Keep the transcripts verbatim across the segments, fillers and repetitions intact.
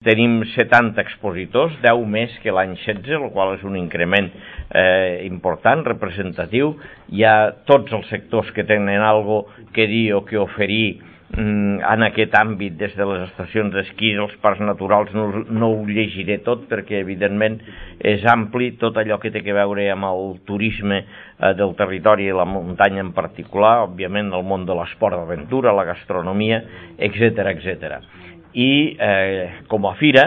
Tenim setanta expositors, deu més que l'any setze, el qual és un increment eh, important, representatiu. Hi ha tots els sectors que tenen algo que dir o que oferir mm, en aquest àmbit, des de les estacions d'esquí, els parcs naturals. No, no ho llegiré tot perquè evidentment és ampli, tot allò que té a veure amb el turisme eh, del territori i la muntanya en particular, òbviament el món de l'esport d'aventura, la gastronomia, etcètera, etcètera. I eh, com a fira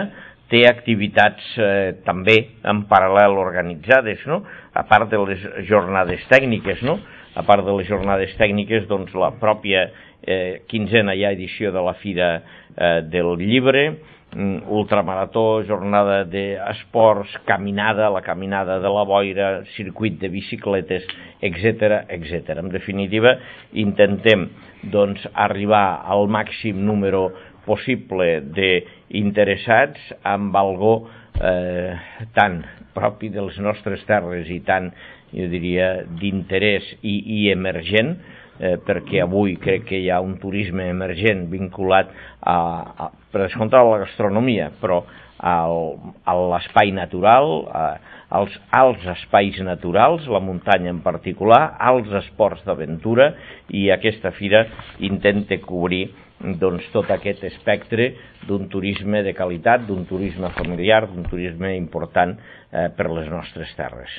té activitats eh, també en paral·lel organitzades, no? A part de les jornades tècniques, no? A part de les jornades tècniques, doncs la pròpia eh, quinzena ja edició de la Fira eh, del Llibre, ultramarató, jornada d'esports, caminada, la caminada de la boira, circuit de bicicletes, etcètera, etcètera. En definitiva, intentem doncs, arribar al màxim número possible d'interessats amb algo eh, tan propi de les nostres terres i tan, jo diria, d'interès i, i emergent, eh, perquè avui crec que hi ha un turisme emergent vinculat a, a per descomptar la gastronomia, però al, a l'espai natural, a, als alts espais naturals, la muntanya en particular, als esports d'aventura, i aquesta fira intenta cobrir doncs, tot aquest espectre d'un turisme de qualitat, d'un turisme familiar, d'un turisme important eh, per les nostres terres.